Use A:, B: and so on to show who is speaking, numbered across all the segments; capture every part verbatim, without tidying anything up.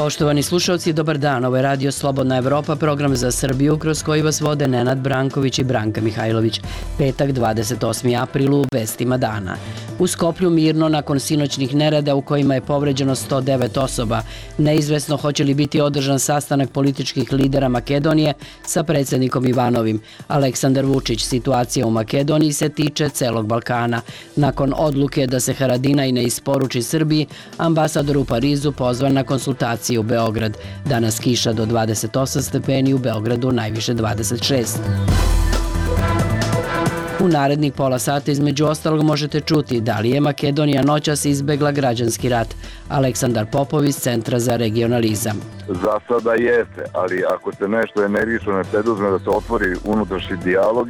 A: Poštovani slušalci, dobar dan. Ovo je Radio Slobodna Evropa, program za Srbiju kroz koji vas vode Nenad Branković i Branka Mihajlović. Petak, dvadeset osmi april u vestima dana. U Skoplju mirno nakon sinoćnih nereda u kojima je povređeno sto devet osoba. Neizvesno hoće li biti održan sastanak političkih lidera Makedonije sa predsjednikom Ivanovim. Aleksandar Vučić, situacija u Makedoniji se tiče celog Balkana. Nakon odluke da se Haradinaj ne isporuči Srbiji, ambasador u Parizu pozvan na konsultacije u Beograd. Danas kiša do dvadeset osam stepeni, u Beogradu najviše dvadeset šest. U narednih pola sata između ostalog možete čuti da li je Makedonija noćas izbegla građanski rat. Aleksandar Popov iz Centra za regionalizam.
B: Za sada jeste, ali ako se nešto energično ne preduzme da se otvori unutrašnji dijalog,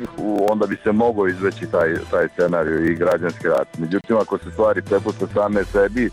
B: onda bi se mogao izveći taj, taj scenarij i građanski rat. Međutim, ako se stvari prepuste same sebi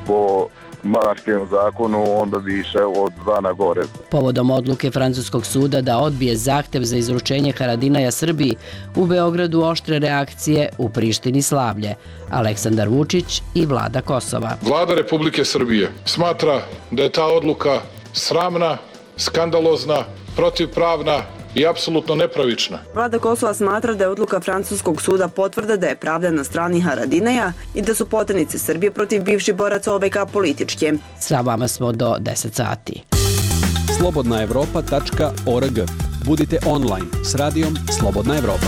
B: po Maškinom zakonu, onda bi išao od zla na gore.
A: Povodom odluke francuskog suda da odbije zahtev za izručenje Haradinaja Srbiji, u Beogradu oštre reakcije, u Prištini slavlje. Aleksandar Vučić i vlada Kosova.
C: Vlada Republike Srbije smatra da je ta odluka sramna, skandalozna, protivpravna i apsolutno nepravična.
D: Vlada Kosova smatra da je odluka francuskog suda potvrda da je pravda na strani Haradinaja i da su poternice Srbije protiv bivših boraca O V K političke.
A: Sa vama smo do deset sati.
E: slobodna evropa tačka org. Budite online s radijom Slobodna Evropa.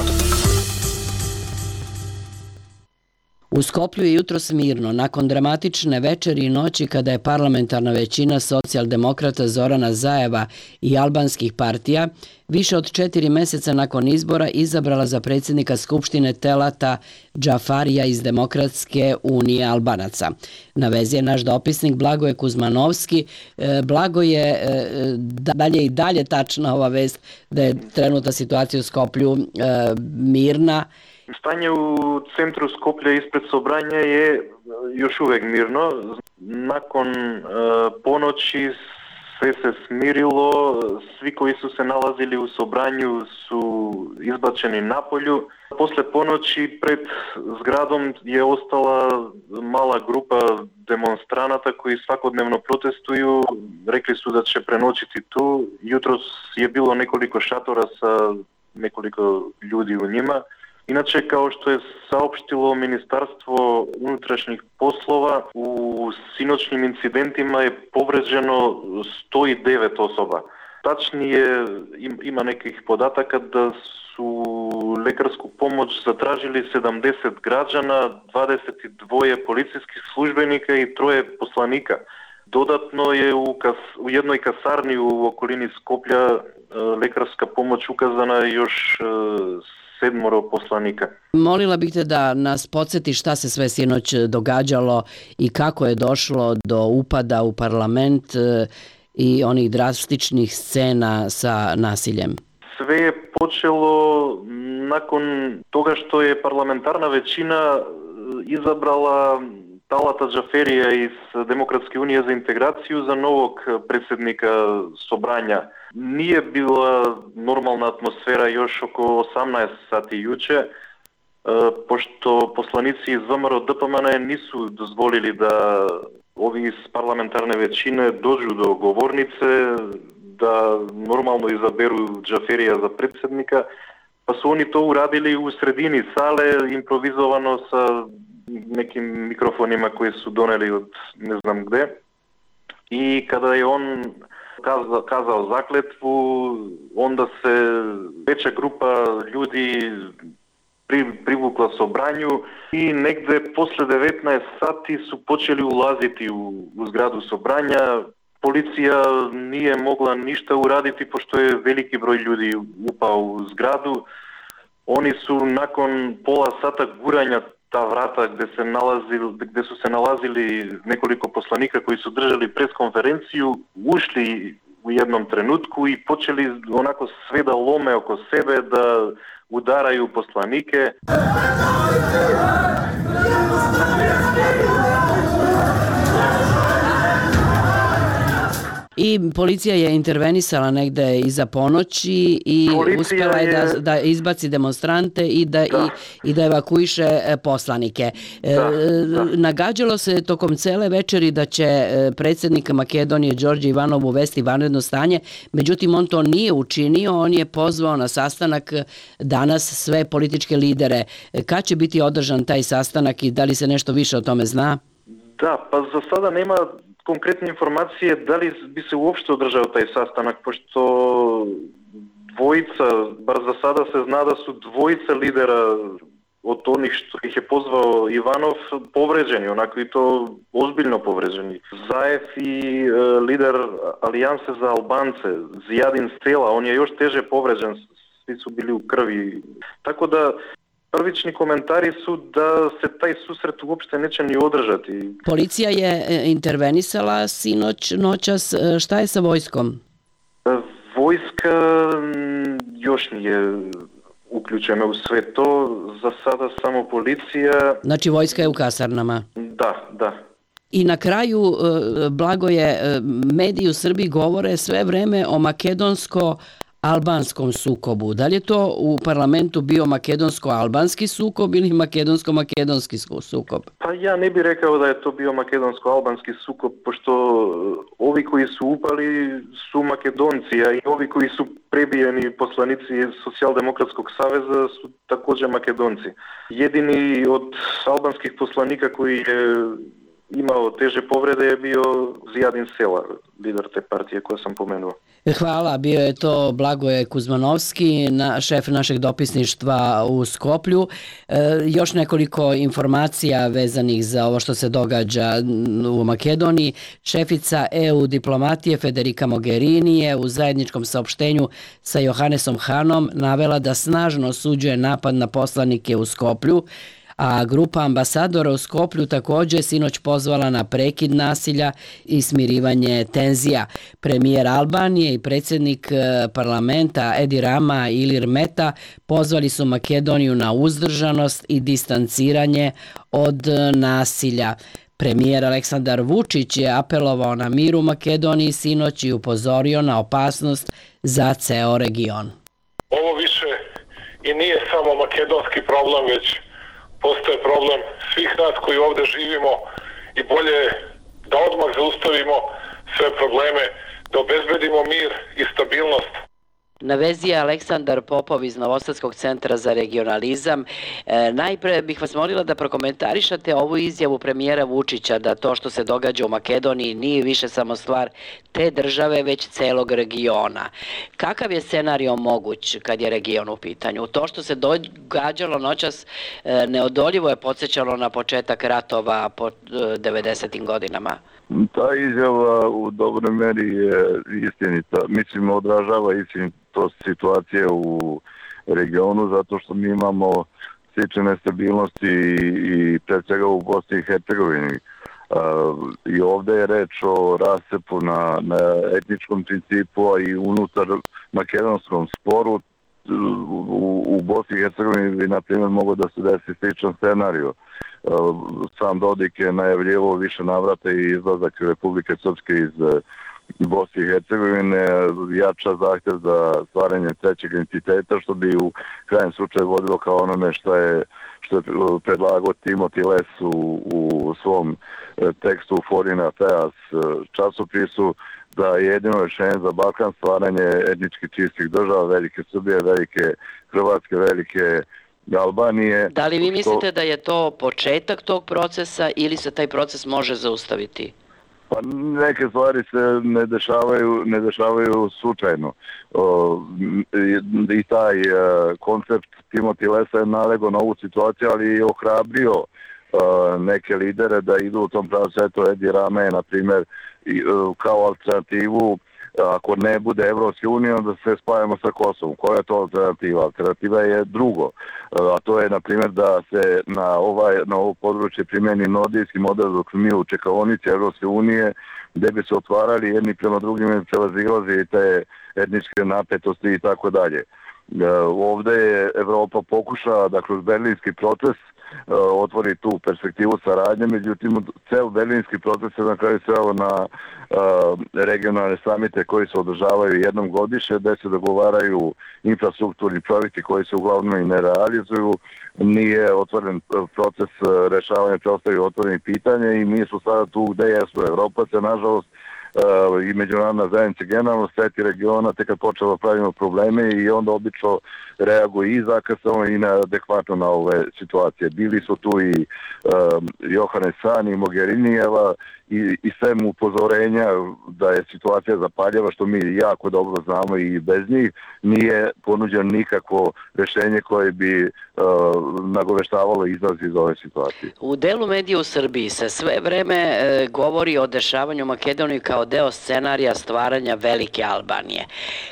A: U Skoplju je jutros mirno, nakon dramatične večeri i noći kada je parlamentarna većina socijaldemokrata Zorana Zajeva i albanskih partija više od četiri meseca nakon izbora izabrala za predsjednika Skupštine Telata Džafarija iz Demokratske unije Albanaca. Na vezi je naš dopisnik Blagoje Kuzmanovski. Blagoje, dalje i dalje tačna ova vest da je trenutna situacija u Skoplju mirna.
F: Stanje u centru Skoplja ispred Sobranja je još uvijek mirno. Nakon e, ponoći sve se smirilo, svi koji su se nalazili u Sobranju su izbačeni napolju. Posle ponoći pred zgradom je ostala mala grupa demonstranata koji svakodnevno protestuju. Rekli su da će prenoćiti tu. Jutros je bilo nekoliko šatora sa nekoliko ljudi u njima. Inače, kao što je saopštilo Ministarstvo unutrašnjih poslova, u sinoćnim incidentima je povređeno sto devet osoba. Tačnije, ima nekih podataka da su lekarsku pomoć zatražili sedamdeset građana, dvadeset dva policijskih službenika i troje poslanika. Dodatno je u, kas, u jednoj kasarni u okolini Skoplja lekarska pomoć ukazana još sedmoro poslanika.
A: Molila bih te da nas podsjeti šta se sve sinoć događalo i kako je došlo do upada u parlament i onih drastičnih scena sa nasiljem.
F: Sve je počelo nakon toga što je parlamentarna većina izabrala Talata Džaferija iz Demokratske unije za integraciju za novog predsjednika Sobranja. Nije bila normalna atmosfera još oko osamnaest sati juče, pošto poslanici iz V M R O D P M N nisu dozvolili da ovi iz parlamentarne većine dođu do govornice, da normalno izaberu Džaferija za predsjednika, pa su oni to uradili u sredini sale, improvizovano sa nekim mikrofonima koje su doneli od ne znam gde. I kada je on kazao, kazao zakletvu, onda se veća grupa ljudi pri, privukla Sobranju i negde posle devetnaest sati su počeli ulaziti u, u zgradu Sobranja. Policija nije mogla ništa uraditi pošto je veliki broj ljudi upao u zgradu. Oni su nakon pola sata guranja ta vrata gdje, se nalazili, gdje su se nalazili nekoliko poslanika koji su držali preskonferenciju, ušli u jednom trenutku i počeli onako sve da lome oko sebe, da udaraju poslanike.
A: I policija je intervenisala negde iza ponoći i policija uspela je da, da izbaci demonstrante i da, da. I, i da evakuiše poslanike. Da, da. Nagađalo se tokom cele večeri da će predsjednik Makedonije Đorđe Ivanov uvesti vanredno stanje, međutim on to nije učinio, on je pozvao na sastanak danas sve političke lidere. Kad će biti održan taj sastanak i da li se nešto više o tome zna?
F: Da, pa za sada nema konkretne informacije da li bi se uopšte održao taj sastanak, pošto dvojica, bar za sada se zna da su dvojica lidera od onih što ih je pozvao Ivanov povređeni, onako i to ozbiljno povređeni. Zaev i e, lider Alijanse za Albance, Zijadin Stela, on je još teže povređen, svi su bili u krvi. Tako da prvični komentari su da se taj susret uopšte neće ni održati.
A: Policija je intervenisala sinoć, noćas. Šta je sa vojskom?
F: Vojska još nije uključena u sve to. Za sada samo policija.
A: Znači vojska je u kasarnama?
F: Da, da.
A: I na kraju, Blagoje, mediji u Srbiji govore sve vreme o makedonsko albanskom sukobu. Da li je to u parlamentu bio makedonsko-albanski sukob ili makedonsko-makedonski sukob?
F: Pa ja ne bih rekao da je to bio makedonsko-albanski sukob, pošto ovi koji su upali su Makedonci, a i ovi koji su prebijeni poslanici Socijaldemokratskog saveza su također Makedonci. Jedini od albanskih poslanika koji je imao teže povrede je bio Zijadin Sela, lider te partije koje sam pomenuo.
A: Hvala, bio je to Blagoje Kuzmanovski, na, šef našeg dopisništva u Skoplju. E, još nekoliko informacija vezanih za ovo što se događa u Makedoniji. Šefica E U diplomatije Federica Mogherini je u zajedničkom saopštenju sa Johannesom Hanom navela da snažno osuđuje napad na poslanike u Skoplju, a grupa ambasadora u Skoplju također sinoć pozvala na prekid nasilja i smirivanje tenzija. Premijer Albanije i predsjednik parlamenta Edi Rama i Ilir Meta pozvali su Makedoniju na uzdržanost i distanciranje od nasilja. Premijer Aleksandar Vučić je apelovao na mir u Makedoniji sinoć i upozorio na opasnost za ceo region.
C: Ovo više i nije samo makedonski problem, već postoje problem svih nas koji ovdje živimo i bolje je da odmah zaustavimo sve probleme, da obezbedimo mir i stabilnost.
A: Na vezi je Aleksandar Popov iz Novosadskog centra za regionalizam. E, najpre bih vas molila da prokomentarišate ovu izjavu premijera Vučića da to što se događa u Makedoniji nije više samo stvar te države, već celog regiona. Kakav je scenario moguć kad je region u pitanju? To što se događalo noćas e, neodoljivo je podsjećalo na početak ratova po e, devedesetim godinama.
B: Ta izjava u dobroj meri je istinita. Mislim, odražava istinitost situacije u regionu, zato što mi imamo slične nestabilnosti i pred svega u Bosni i Hercegovini. I ovdje je reč o rasepu na, na etničkom principu, a i unutar makedonskom sporu. U, u Bosni i Hercegovini bi, na primjer, mogo da se desi sličan scenario. Sam Dodik je najavljivo više navrata i izlazak Republike Srpske iz Bosne i Hercegovine, jača zahtjev za stvaranje trećeg entiteta, što bi u krajem slučaju vodilo kao onome što je, što je predlagao Timothy Les u, u svom tekstu Foreign Affairs časopisu, da je jedino rješenje za Balkan stvaranje etnički čistih država, velike Srbije, velike Hrvatske, velike Albanije.
A: Da li vi mislite da je to početak tog procesa ili se taj proces može zaustaviti?
B: Pa neke stvari se ne dešavaju, ne dešavaju slučajno. O, i, i taj e, koncept Timothy Lesa je nalego na ovu situaciju, ali i ohrabrio e, neke lidere da idu u tom pravcu. Eto, Edi Rama je, na primjer, i, e, kao alternativu, ako ne bude Evropske unije, onda se spajamo sa Kosovom. Koja je to alternativa? Alternativa je drugo. A to je, na primjer, da se na, ovaj, na ovo područje primjeni nordijski model dok mi u čekaonici Evropske unije, gdje bi se otvarali jedni prema drugim i prelazilazi te etničke napetosti i tako dalje. Ovde je Evropa pokušala da kroz berlinski proces otvori tu perspektivu saradnje, međutim ceo berlinski proces je na kraju sveo na regionalne samite koji se održavaju jednom godišnje, gde se dogovaraju infrastrukturni projekti koji se uglavnom i ne realizuju. Nije otvoren proces rešavanja preostalih otvorenih pitanja i mi smo sada tu gde jesu. Evropa se nažalost i međunarodna zajednica generalno sveti regiona tek kad počela pravimo probleme i onda obično reaguje i zakasno i neadekvatno na ove situacije. Bili su tu i uh, Johannes Hahn i Mogherinijeva i, i sve mu upozorenja da je situacija zapaljava, što mi jako dobro znamo i bez njih, nije ponuđeno nikakvo rešenje koje bi uh, nagoveštavalo izlaz iz ove situacije.
A: U delu medija u Srbiji se sve vreme e, govori o dešavanju Makedonije kao deo scenarija stvaranja velike Albanije.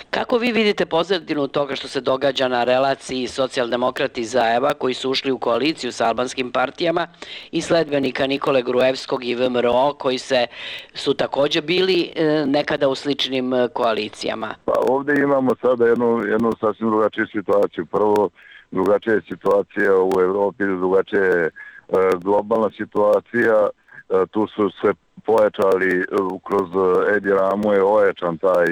A: Kako vi vidite pozadinu toga što se događa na relaciji socijaldemokrati Zaeva koji su ušli u koaliciju sa albanskim partijama i sledbenika Nikole Gruevskog i V M R O koji se, su takođe bili e, nekada u sličnim koalicijama?
B: Pa ovde imamo sada jednu, jednu sasvim drugačiju situaciju. Prvo, drugačija je situacija u Evropi, drugačija je globalna situacija. Tu su se pojačali, kroz Edi Ramu je ojačan taj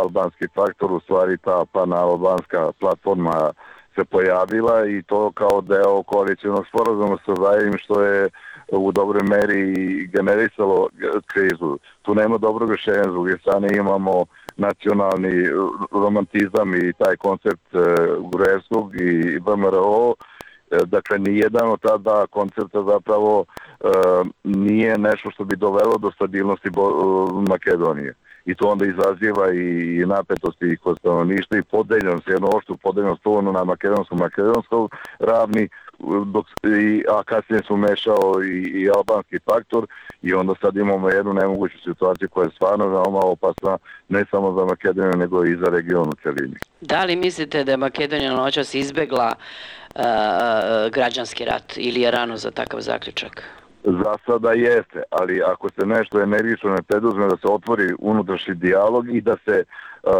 B: albanski faktor, u stvari ta panalbanska platforma se pojavila i to kao deo koalicijnog sporazuma sa Zaevim, što je u dobroj meri generisalo krizu. Tu nema dobrog rešenja, s druge strane imamo nacionalni romantizam i taj koncept Gruevskog i V M R O. Dakle, nijedan od ta dva koncepta zapravo nije nešto što bi dovelo do stabilnosti Makedonije. I to onda izaziva i napetosti i kod stanovništva i podeljenost, jedno oštru podeljenost ono na makedonskom-makedonskom ravni, dok, i, a kasnije su mešao i, i albanski faktor i onda sad imamo jednu nemoguću situaciju koja je stvarno veoma opasna ne samo za Makedoniju nego i za region u celini.
A: Da li mislite da je Makedonija noćas izbegla uh, građanski rat ili je rano za takav zaključak?
B: Za sada jeste, ali ako se nešto energično ne preduzme da se otvori unutrašnji dijalog i da se uh,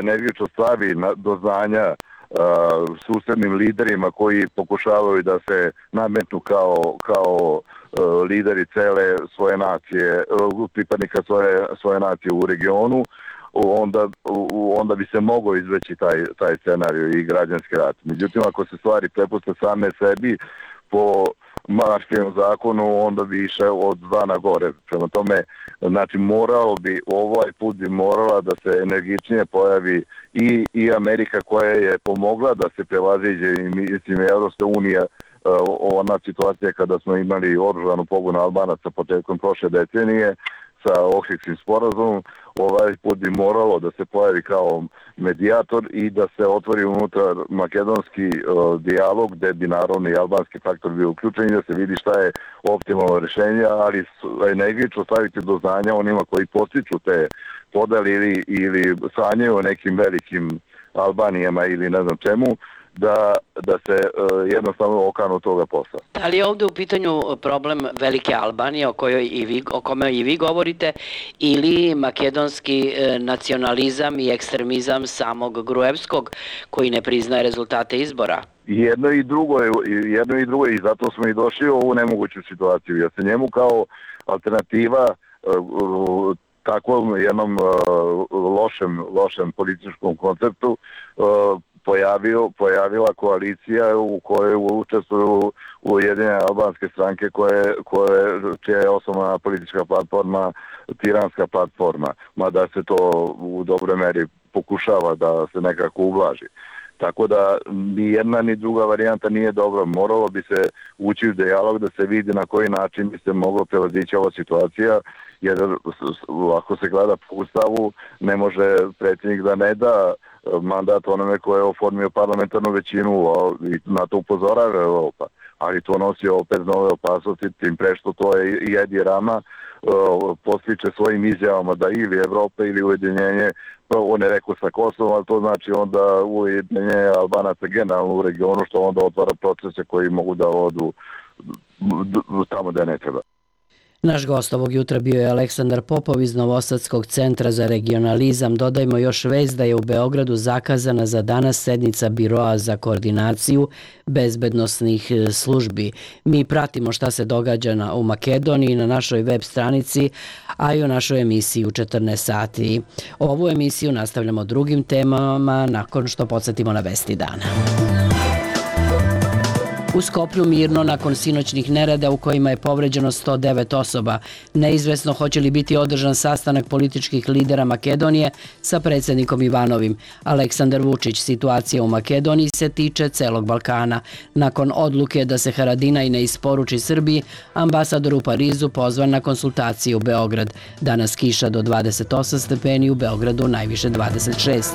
B: energično stavi na, do znanja uh, susednim liderima koji pokušavaju da se nametnu kao, kao uh, lideri cele svoje nacije, uh, pripadnika svoje, svoje nacije u regionu, onda, onda bi se mogao izveći taj, taj scenarij i građanski rat. Međutim, ako se stvari prepuste same sebi po Maškinom zakonu, onda bi išao od dva na gore. Prema tome, znači moralo bi, ovaj put bi morala da se energičnije pojavi i, i Amerika koja je pomogla da se prevaziđe i mislim Evropska unija, ona situacija kada smo imali oružanu pobunu Albanaca početkom prošle decenije sa Ohridskim sporazumom, ovaj put bi moralo da se pojavi kao medijator i da se otvori unutar makedonski uh, dijalog gde bi naravno i albanski faktor bio uključen i da se vidi šta je optimalno rešenje, ali energično staviti do znanja onima koji postiču te podeli ili, ili sanjaju o nekim velikim Albanijama ili ne znam čemu, da, da se uh, jednostavno okanu toga posla.
A: Da li je ovde u pitanju problem velike Albanije o kojoj i vi, o kome i vi govorite ili makedonski e, nacionalizam i ekstremizam samog Gruevskog koji ne priznaje rezultate izbora?
B: Jedno i drugo je, jedno i drugo je i zato smo i došli u ovu nemoguću situaciju. Ja se njemu kao alternativa uh, takvom jednom uh, lošem, lošem političkom konceptu uh, Pojavio, pojavila koalicija u kojoj učestvuju ujedinjene albanske stranke koje, koje, čija je osnovna politička platforma tiranska platforma, mada se to u dobroj meri pokušava da se nekako ublaži. Tako da ni jedna ni druga varijanta nije dobra. Moralo bi se ući u dijalog da se vidi na koji način bi se moglo prevazići ova situacija, jer ako se gleda po ustavu ne može predsjednik da ne da mandat onome koje je oformio parlamentarnu većinu i na to upozorava Evropa. Ali to nosi opet nove opasnosti, tim pre što to je i Edi Rama postiče svojim izjavama da ili Evropa ili ujedinjenje, on je rekao sa Kosovom, ali to znači onda ujedinjenje Albanaca generalno u regionu, što onda otvara procese koji mogu da odu tamo da ne treba.
A: Naš gost ovog jutra bio je Aleksandar Popov iz Novosadskog centra za regionalizam. Dodajmo još vest da je u Beogradu zakazana za danas sednica Biroa za koordinaciju bezbednosnih službi. Mi pratimo šta se događa na, u Makedoniji na našoj web stranici, a i u našoj emisiji u četrnaest sati. Ovu emisiju nastavljamo drugim temama nakon što podsjetimo na vesti dana. U Skoplju mirno nakon sinoćnih nereda u kojima je povređeno sto devet osoba. Neizvesno hoće li biti održan sastanak političkih lidera Makedonije sa predsjednikom Ivanovim. Aleksandar Vučić, situacija u Makedoniji se tiče celog Balkana. Nakon odluke da se Haradinaj ne isporuči Srbiji, ambasador u Parizu pozvan na konsultacije u Beograd. Danas kiša do dvadeset osam stepeni, u Beogradu najviše dvadeset šest.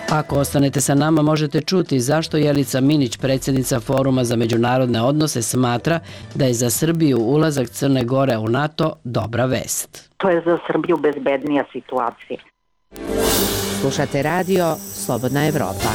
A: Ako ostanete sa nama, možete čuti zašto Jelica Minić, predsjednica Foruma za međunarodne odnose, smatra da je za Srbiju ulazak Crne Gore u NATO dobra vest.
G: To je za Srbiju bezbednija situacija.
H: Slušate radio Slobodna Evropa.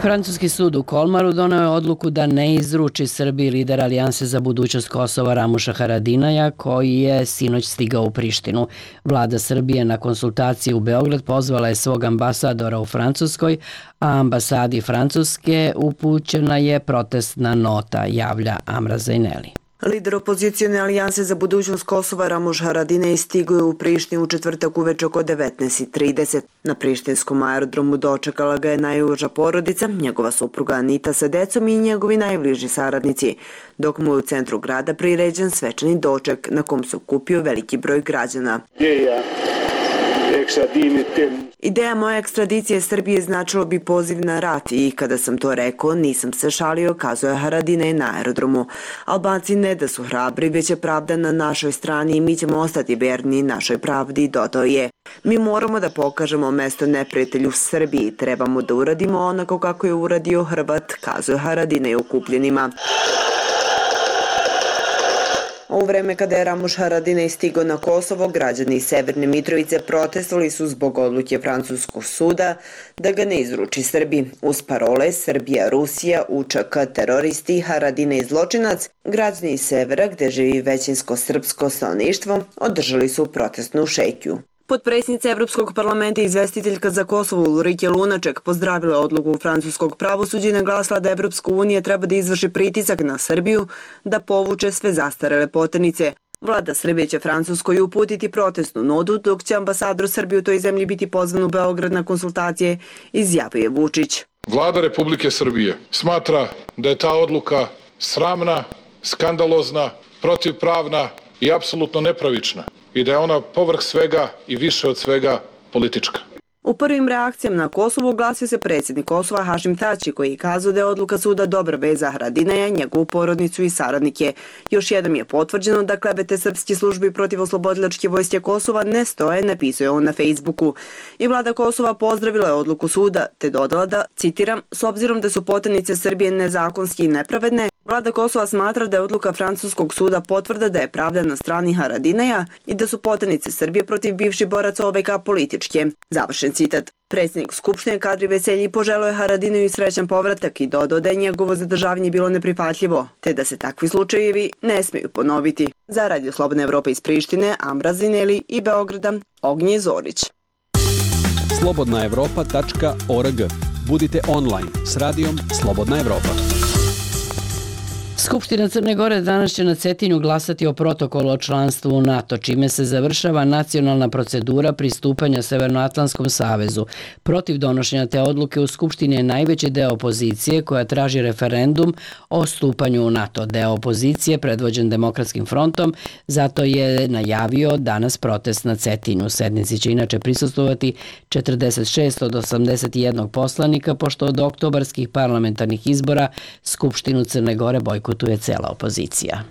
A: Francuski sud u Kolmaru doneo je odluku da ne izruči Srbiji lidera Alijanse za budućnost Kosova Ramuša Haradinaja, koji je sinoć stigao u Prištinu. Vlada Srbije na konsultacije u Beograd pozvala je svog ambasadora u Francuskoj, a ambasadi Francuske upućena je protestna nota, javlja Amra Zajneli.
D: Lider opozicijone alijanse za budućnost Kosova Ramuš Haradinaj stigao je u Prištinu u četvrtak uveče oko devetnaest trideset. Na prištinskom aerodromu dočekala ga je najuža porodica, njegova supruga Anita sa decom i njegovi najbliži saradnici, dok mu je u centru grada priređen svečani doček na kom se okupio veliki broj građana. Ideja moje ekstradicije Srbije značilo bi poziv na rat i kada sam to rekao nisam se šalio, kazuje Haradinaj na aerodromu. Albanci ne da su hrabri, već je pravda na našoj strani i mi ćemo ostati verni našoj pravdi, dodao je. Mi moramo da pokažemo mesto neprijatelju Srbiji, trebamo da uradimo onako kako je uradio Hrvat, kazuje Haradinaj okupljenima. U vreme kada je Ramuš Haradinaj stigao na Kosovo, građani Severne Mitrovice protestovali su zbog odluke francuskog suda da ga ne izruči Srbiji. Uz parole Srbija, Rusija, U Č K, teroristi, Haradinaj zločinac, građani iz severa, gde živi većinsko srpsko stanovništvo, održali su protestnu šetnju. Potpredsjednica Evropskog parlamenta i izvestiteljka za Kosovo Ulrike Lunaček pozdravila odluku francuskog pravosuđa i naglasila da Evropska unija treba da izvrši pritisak na Srbiju da povuče sve zastarele poternice. Vlada Srbije će Francuskoj uputiti protestnu notu, dok će ambasador Srbije u toj zemlji biti pozvan u Beograd na konsultacije, izjavio je Vučić.
C: Vlada Republike Srbije smatra da je ta odluka sramna, skandalozna, protivpravna i apsolutno nepravična i da je ona povrh svega i više od svega politička.
D: U prvim reakcijama na Kosovo oglasio se predsjednik Kosova Hašim Tači, koji je kazao da je odluka suda dobra vest za Haradinaja, njegovu porodicu i saradnike. Još jednom je potvrđeno da klevete srpske službi protiv oslobodilačke vojske Kosova ne stoje, napisao je on na Facebooku. I vlada Kosova pozdravila je odluku suda, te dodala da, citiram, s obzirom da su poternice Srbije nezakonski i nepravedne, vlada Kosova smatra da je odluka francuskog suda potvrda da je pravda na strani Haradinaja i da su poternice Srbije protiv bivših boraca O V K političke. Završen citat. Predsjednik Skupštine Kadri Veselji poželio je Haradinaju srećan povratak i dodao da je njegovo zadržavanje bilo neprihvatljivo, te da se takvi slučajevi ne smiju ponoviti. Za Radio Slobodna Evropa iz Prištine, Amra Zineli i Beograda, Ognje Zorić.
E: slobodna evropa tačka org. Budite online s radijom Slobodna Evropa.
A: Skupština Crne Gore danas će na Cetinju glasati o protokolu o članstvu u NATO, čime se završava nacionalna procedura pristupanja Severnoatlantskom savezu. Protiv donošenja te odluke u Skupštini je najveći deo opozicije koja traži referendum o stupanju u NATO. Deo opozicije, predvođen Demokratskim frontom, zato je najavio danas protest na Cetinju. Sednici će inače prisustvovati četrdeset šest od osamdeset jedan poslanika, pošto od oktobarskih parlamentarnih izbora Skupštinu Crne Gore bojkotuje tu je cela opozicija.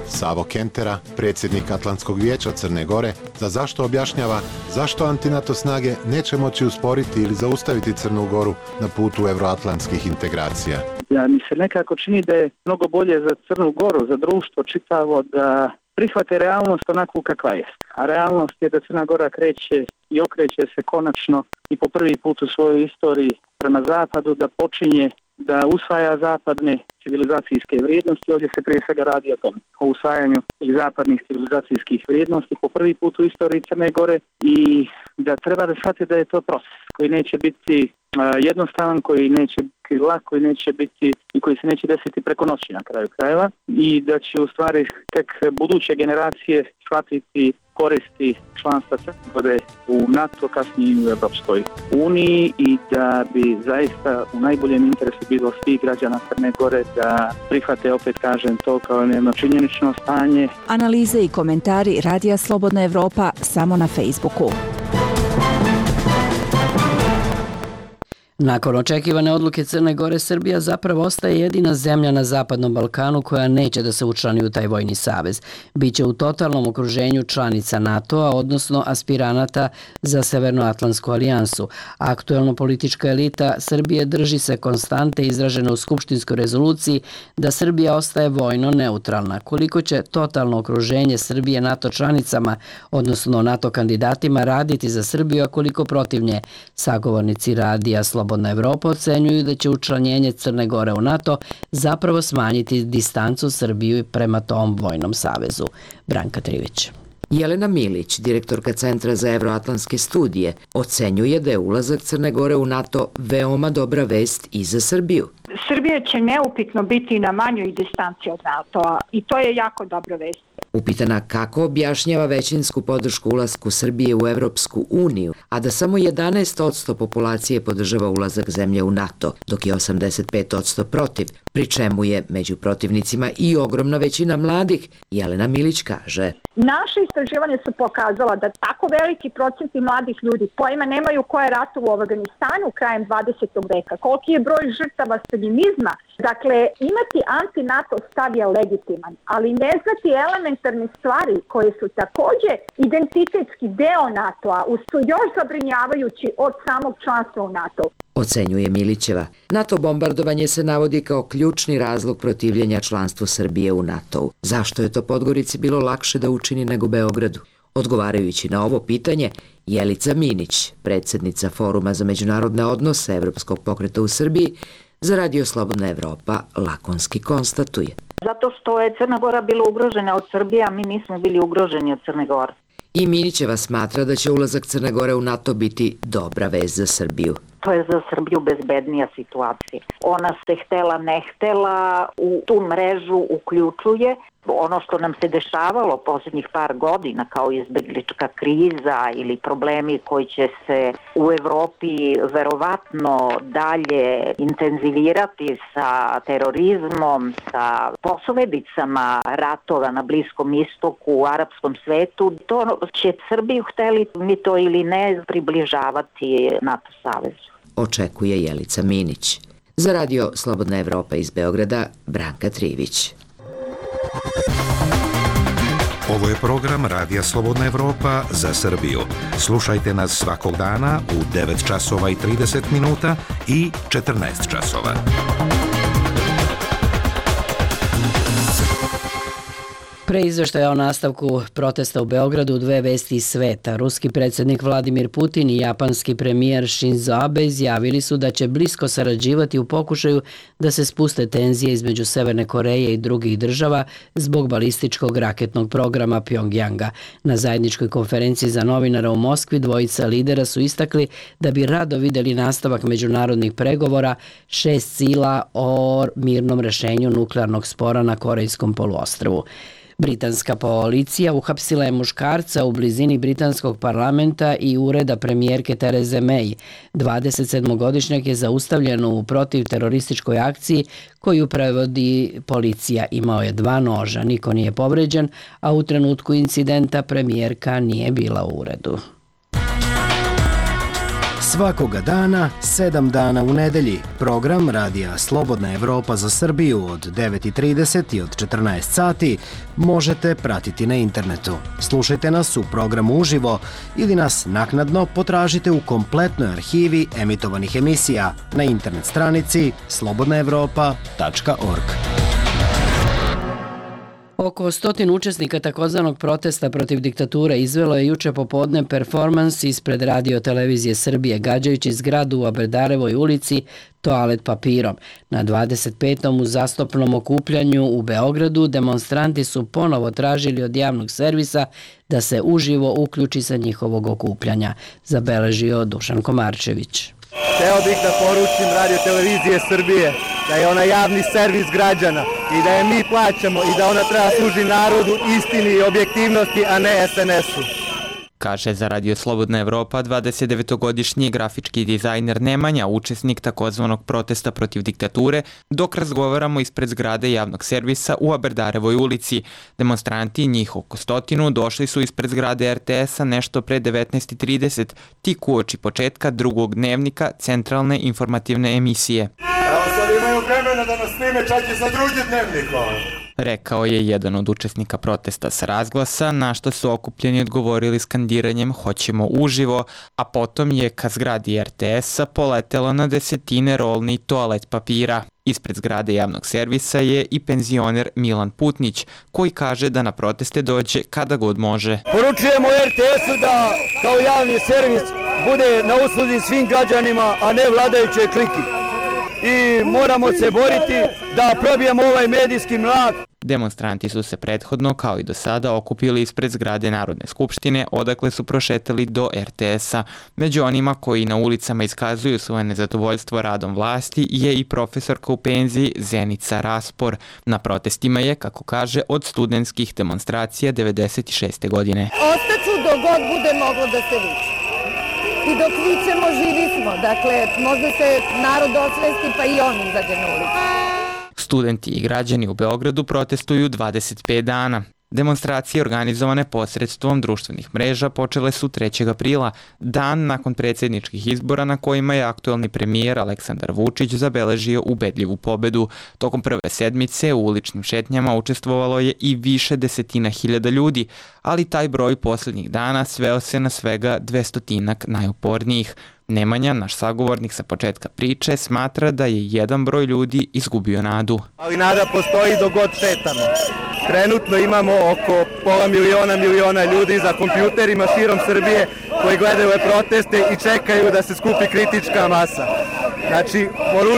I: Savo Kentera, predsjednik Atlantskog vijeća Crne Gore, za zašto objašnjava zašto antinato snage neće moći usporiti ili zaustaviti Crnu Goru na putu evroatlantskih integracija.
J: Ja, mi se nekako čini da je mnogo bolje za Crnu Goru, za društvo čitavo, da prihvate realnost onakvu kakva je. A realnost je da Crna Gora kreće i okreće se konačno i po prvi put u svojoj istoriji prema zapadu, da počinje da usvaja zapadne civilizacijske vrijednosti. Ovdje se prije svega radi o tom, o usvajanju zapadnih civilizacijskih vrijednosti po prvi put u istoriji Crne Gore i da treba da shvati da je to proces koji neće biti jednostavan, koji neće biti lak, koji neće biti i koji se neće desiti preko noći na kraju krajeva i da će u stvari tek buduće generacije shvatiti koristi članstva Crne Gore u NATO, kasnije i u Evropskoj uniji i da bi zaista u najboljem interesu bilo svih građana Crne Gore da prihvate, opet kažem, to kao jedno činjenično stanje.
K: Analize i komentari Radija Slobodna Evropa samo na Facebooku.
A: Nakon očekivane odluke Crne Gore, Srbija zapravo ostaje jedina zemlja na Zapadnom Balkanu koja neće da se učlani u taj vojni savez. Biće u totalnom okruženju članica NATO-a, odnosno aspiranata za Severnoatlantsku alijansu. Aktuelno politička elita Srbije drži se konstante izražene u skupštinskoj rezoluciji da Srbija ostaje vojno neutralna. Koliko će totalno okruženje Srbije NATO članicama, odnosno NATO kandidatima, raditi za Srbiju, a koliko protiv nje, sagovornici Radija Slobodna Evropa ocenjuju da će učlanjenje Crne Gore u NATO zapravo smanjiti distancu Srbiju prema tom vojnom savezu. Branka Trivić.
L: Jelena Milić, direktorka Centra za evroatlantske studije, ocenjuje da je ulazak Crne Gore u NATO veoma dobra vest i za Srbiju.
G: Srbija će neupitno biti na manjoj distanci od NATO-a i to je jako dobra vest.
L: Upitana kako objašnjava većinsku podršku ulasku Srbije u Evropsku uniju, a da samo jedanaest posto populacije podržava ulazak zemlje u NATO, dok je osamdeset pet posto protiv, pri čemu je među protivnicima i ogromna većina mladih, Jelena Milić kaže.
G: Naše istraživanje su pokazala da tako veliki procenti mladih ljudi kojima nemaju ko je ratovo u Afganistanu krajem dvadesetog veka, koliki je broj žrtava staljinizma. Dakle, imati anti-NATO stav je legitiman, ali ne znati elementarne stvari koje su također identitetski deo NATO-a su još zabrinjavajući od samog članstva u NATO.
L: Ocenjuje Milićeva. NATO bombardovanje se navodi kao ključni razlog protivljenja članstvu Srbije u NATO-u. Zašto je to Podgorici bilo lakše da učini nego Beogradu? Odgovarajući na ovo pitanje, Jelica Minić, predsjednica Foruma za međunarodne odnose Evropskog pokreta u Srbiji, za Radio Slobodna Evropa lakonski konstatuje.
G: Zato što je Crna Gora bila ugrožena od Srbije, a mi nismo bili ugroženi od Crne Gore.
L: I Minićeva smatra da će ulazak Crne Gore u NATO biti dobra vez za Srbiju.
G: To je za Srbiju bezbednija situacija. Ona se htela ne htela u tu mrežu uključuje. Ono što nam se dešavalo posljednjih par godina kao izbeglička kriza ili problemi koji će se u Evropi verovatno dalje intenzivirati sa terorizmom, sa posledicama ratova na Bliskom istoku, u arapskom svetu, to će Srbiju, hteli mi to ili ne, približavati NATO savezu.
L: Očekuje Jelica Minić. Za Radio Slobodna Evropa iz Beograda, Branka Trivić.
M: Ovo je program Radija Slobodna Evropa za Srbiju. Slušajte nas svakog dana u devet časova i trideset minuta i četrnaest časova.
A: Pre izveštaja o nastavku protesta u Beogradu, dve vesti iz sveta. Ruski predsjednik Vladimir Putin i japanski premijer Shinzo Abe izjavili su da će blisko sarađivati u pokušaju da se spuste tenzije između Severne Koreje i drugih država zbog balističkog raketnog programa Pjongjanga. Na zajedničkoj konferenciji za novinara u Moskvi dvojica lidera su istakli da bi rado vidjeli nastavak međunarodnih pregovora šest sila o mirnom rešenju nuklearnog spora na Korejskom poluostrvu. Britanska policija uhapsila je muškarca u blizini britanskog parlamenta i ureda premijerke Tereze May. dvadesetsedmogodišnjak je zaustavljen u protivterorističkoj akciji koju prevodi policija. Imao je dva noža, niko nije povređen, a u trenutku incidenta premijerka nije bila u uredu.
N: Svakoga dana, sedam dana u nedelji, program Radija Slobodna Evropa za Srbiju od devet i trideset i od četrnaest sati možete pratiti na internetu. Slušajte nas u programu uživo ili nas naknadno potražite u kompletnoj arhivi emitovanih emisija na internet stranici slobodna evropa tačka org.
A: Oko stotin učesnika takozvanog protesta protiv diktature izvelo je juče popodne performans ispred Radio televizije Srbije, gađajući zgradu u Aberdarevoj ulici toalet papirom. Na dvadeset petom uzastopnom okupljanju u Beogradu demonstranti su ponovo tražili od javnog servisa da se uživo uključi sa njihovog okupljanja, zabeležio Dušan Komarčević.
O: Hteo bih da poručim Radio televizije Srbije da je ona javni servis građana i da je mi plaćamo i da ona treba služi narodu, istini i objektivnosti, a ne es en esu.
P: Kaže za Radio Slobodna Evropa dvadesetdevetogodišnji grafički dizajner Nemanja, učesnik takozvanog protesta protiv diktature, dok razgovaramo ispred zgrade javnog servisa u Aberdarevoj ulici. Demonstranti, njih oko stotinu, došli su ispred zgrade er te esa nešto pre devetnaest i trideset, tik uoči početka drugog dnevnika centralne informativne emisije.
Q: Evo sad imaju vremena da nas snime čak i sa drugim dnevnikom.
P: Rekao je jedan od učesnika protesta sa razglasa, na što su okupljeni odgovorili skandiranjem "Hoćemo uživo", a potom je ka zgradi er te esa poletelo na desetine rolni toalet papira. Ispred zgrade javnog servisa je i penzioner Milan Putnić, koji kaže da na proteste dođe kada god može.
O: Poručujemo er te esu da kao javni servis bude na usluzi svim građanima, a ne vladajućoj kliki. I moramo se boriti da probijemo ovaj medijski mrak.
P: Demonstranti su se prethodno, kao i do sada, okupili ispred zgrade Narodne skupštine, odakle su prošetali do er te esa. Među onima koji na ulicama iskazuju svoje nezadovoljstvo radom vlasti je i profesorka u penziji Zenica Raspor. Na protestima je, kako kaže, od studentskih demonstracija devedeset šeste godine.
R: Ostaću dok god bude moglo da se viče. I dok vičemo, živi smo. Dakle, možda se narod osvesti pa i on izađe na ulicu.
P: Studenti i građani u Beogradu protestuju dvadeset pet dana. Demonstracije organizovane posredstvom društvenih mreža počele su trećeg aprila, dan nakon predsjedničkih izbora na kojima je aktuelni premijer Aleksandar Vučić zabeležio ubedljivu pobedu. Tokom prve sedmice u uličnim šetnjama učestvovalo je i više desetina hiljada ljudi, ali taj broj posljednjih dana sveo se na svega dvestotinak najupornijih. Nemanja, naš sagovornik sa početka priče, smatra da je jedan broj ljudi izgubio nadu.
O: Ali nada postoji dok god šetamo. Trenutno imamo oko pola miliona miliona ljudi za kompjuterima širom Srbije koji gledaju ove proteste i čekaju da se skupi kritička masa. Znači,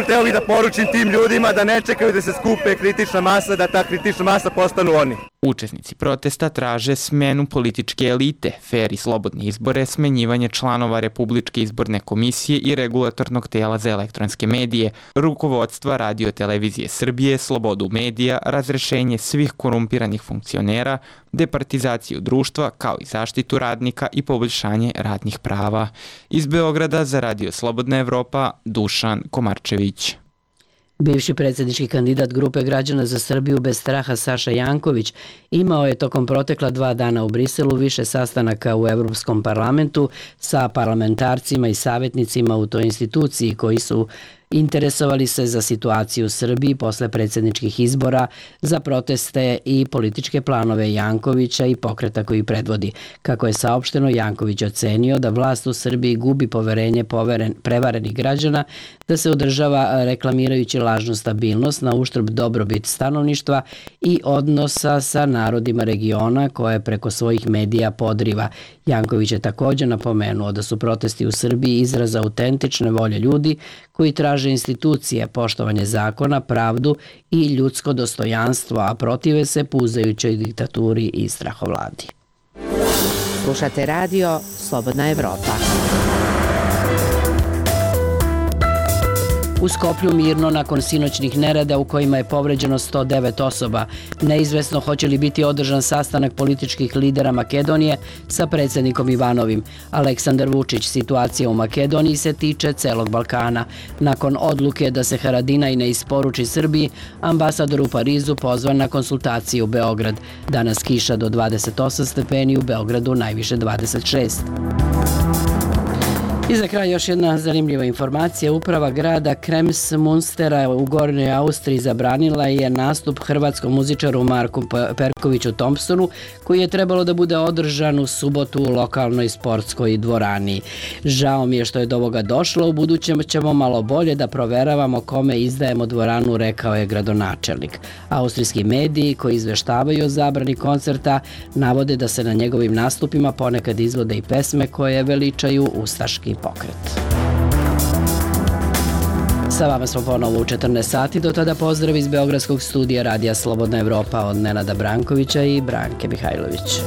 O: hteo bih da poručim tim ljudima da ne čekaju da se skupe kritična masa, da ta kritična masa postanu oni.
P: Učesnici protesta traže smenu političke elite, fer i slobodne izbore, smenjivanje članova Republičke izborne komisije i regulatornog tela za elektronske medije, rukovodstva Radio televizije Srbije, slobodu medija, razrešenje svih korumpiranih funkcionera, departizaciju društva, kao i zaštitu radnika i poboljšanje radnih prava. Iz Beograda za Radio Slobodna Evropa, Dušan Komarčević.
A: Bivši predsjednički kandidat Grupe građana za Srbiju bez straha Saša Janković imao je tokom protekla dva dana u Briselu više sastanaka u Evropskom parlamentu sa parlamentarcima i savjetnicima u toj instituciji koji su interesovali se za situaciju u Srbiji posle predsjedničkih izbora, za proteste i političke planove Jankovića i pokreta koji predvodi. Kako je saopšteno, Janković ocenio da vlast u Srbiji gubi poverenje poveren, prevarenih građana, da se održava reklamirajući lažnu stabilnost na uštrb dobrobit stanovništva i odnosa sa narodima regiona koje preko svojih medija podriva. Janković je također napomenuo da su protesti u Srbiji izraz autentične volje ljudi koji traže institucije, poštovanje zakona, pravdu i ljudsko dostojanstvo, a protive se puzajućoj diktaturi i strahovladi.
H: Slušate radio Slobodna Evropa.
A: U Skoplju mirno nakon sinoćnih nereda u kojima je povređeno sto devet osoba. Neizvesno hoće li biti održan sastanak političkih lidera Makedonije sa predsjednikom Ivanovim. Aleksandar Vučić, situacija u Makedoniji se tiče celog Balkana. Nakon odluke da se Haradinaj ne isporuči Srbiji, ambasador u Parizu pozvan na konsultacije u Beograd. Danas kiša do dvadeset osam stepeni, u Beogradu najviše dvadeset šest. I za kraj još jedna zanimljiva informacija. Uprava grada Krems-Munstera u Gornjoj Austriji zabranila je nastup hrvatskom muzičaru Marku Perkoviću Thompsonu, koji je trebalo da bude održan u subotu u lokalnoj sportskoj dvorani. Žao mi je što je do ovoga došlo, u budućem ćemo malo bolje da proveravamo kome izdajemo dvoranu, rekao je gradonačelnik. Austrijski mediji koji izveštavaju o zabrani koncerta navode da se na njegovim nastupima ponekad izvode i pesme koje veličaju ustaški pokret. Sa vama smo ponovo u četrnaest sati, do tada pozdrav iz Beogradskog studija Radija Slobodna Evropa od Nenada Brankovića i Branke Mihajlović.